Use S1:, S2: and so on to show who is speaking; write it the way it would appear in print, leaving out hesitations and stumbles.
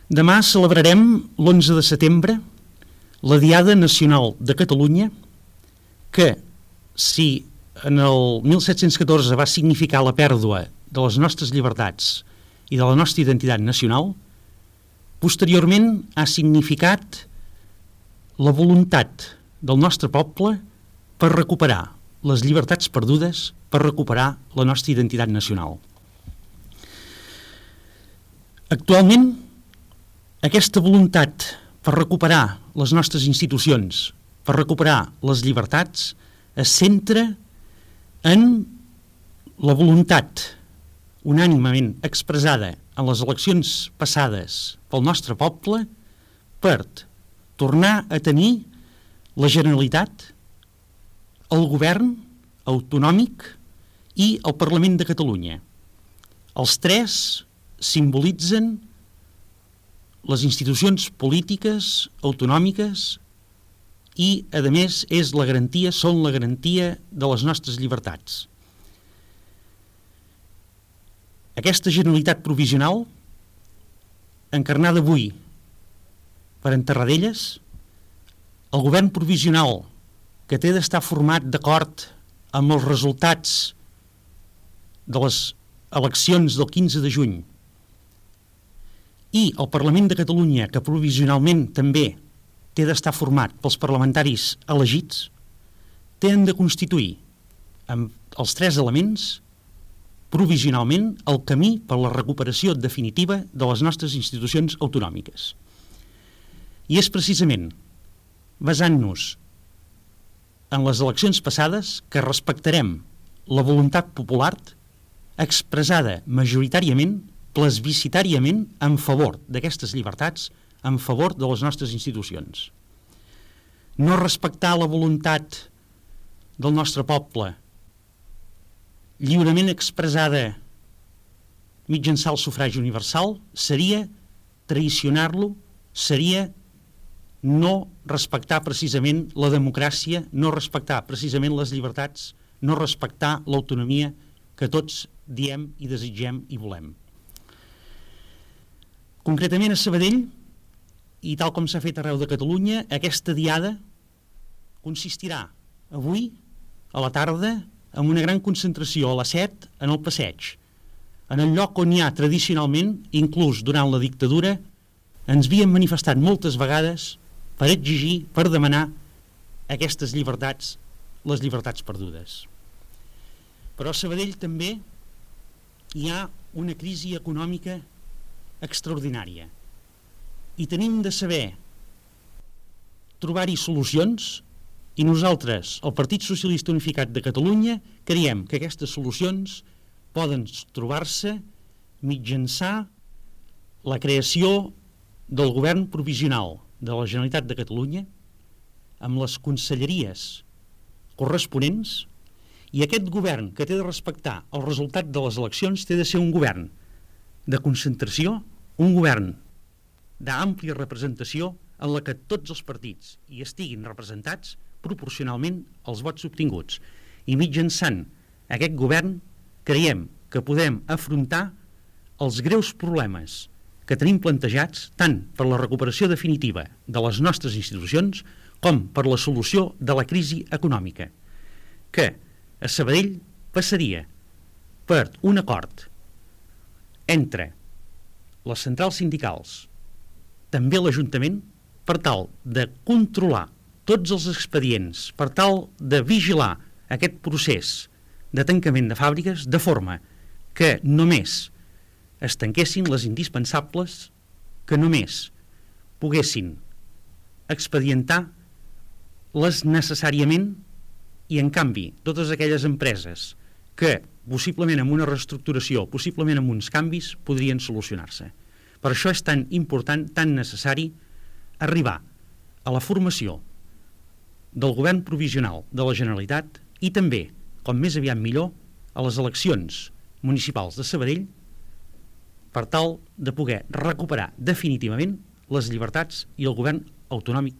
S1: Demà celebrarem l'11 de setembre la Diada Nacional de Catalunya, que, si en el 1714 va significar la pèrdua de les nostres llibertats i de la nostra identitat nacional, posteriorment ha significat la voluntat del nostre poble per recuperar les llibertats perdudes, per recuperar la nostra identitat nacional. Actualment, aquesta voluntat per recuperar les nostres institucions, per recuperar les llibertats, es centra en la voluntat unànimement expressada en les eleccions passades pel nostre poble per tornar a tenir la Generalitat, el govern autonòmic i el Parlament de Catalunya. Els tres simbolitzen les institucions polítiques autonòmiques i, a més, són la garantia de les nostres llibertats. Aquesta Generalitat provisional, encarnada avui per en Tarradellas, el govern provisional que té d'estar format d'acord amb els resultats de les eleccions del 15 de juny i el Parlament de Catalunya, que provisionalment també té d'estar format pels parlamentaris elegits, tenen de constituir amb els tres elements provisionalment el camí per a la recuperació definitiva de les nostres institucions autonòmiques. I és precisament basant-nos en les eleccions passades que respectarem la voluntat popular expressada majoritàriament, plebiscitàriament, en favor d'aquestes llibertats, en favor de les nostres institucions. No respectar la voluntat del nostre poble lliurement expressada mitjançant el sufragi universal seria traïcionar-lo, seria no respectar precisament la democràcia, no respectar precisament les llibertats, no respectar l'autonomia que tots diem i desitgem i volem. Concretament a Sabadell, i tal com s'ha fet arreu de Catalunya, aquesta diada consistirà avui, a la tarda, en una gran concentració a les 7 en el passeig, en el lloc on hi ha tradicionalment, inclús durant la dictadura, ens havíem manifestat moltes vegades per exigir, per demanar aquestes llibertats, les llibertats perdudes. Però a Sabadell també hi ha una crisi econòmica extraordinària i tenim de saber trobar-hi solucions, i nosaltres, el Partit Socialista Unificat de Catalunya, creiem que aquestes solucions poden trobar-se mitjançant la creació del govern provisional de la Generalitat de Catalunya amb les conselleries corresponents, i aquest govern que té de respectar el resultat de les eleccions té de ser un govern de concentració, un govern d'àmplia representació en la que tots els partits hi estiguin representats proporcionalment als vots obtinguts. I mitjançant aquest govern creiem que podem afrontar els greus problemes que tenim plantejats tant per la recuperació definitiva de les nostres institucions com per la solució de la crisi econòmica, que a Sabadell passaria per un acord entre les centrals sindicals, també l'Ajuntament, per tal de controlar tots els expedients, per tal de vigilar aquest procés de tancament de fàbriques, de forma que només es tanquessin les indispensables, que només poguessin expedientar les necessàriament, i en canvi totes aquelles empreses que possiblement amb una reestructuració, possiblement amb uns canvis, podrien solucionar-se. Per això és tan important, tan necessari arribar a la formació del govern provisional de la Generalitat i també, com més aviat millor, a les eleccions municipals de Sabadell per tal de poder recuperar definitivament les llibertats i el govern autonòmic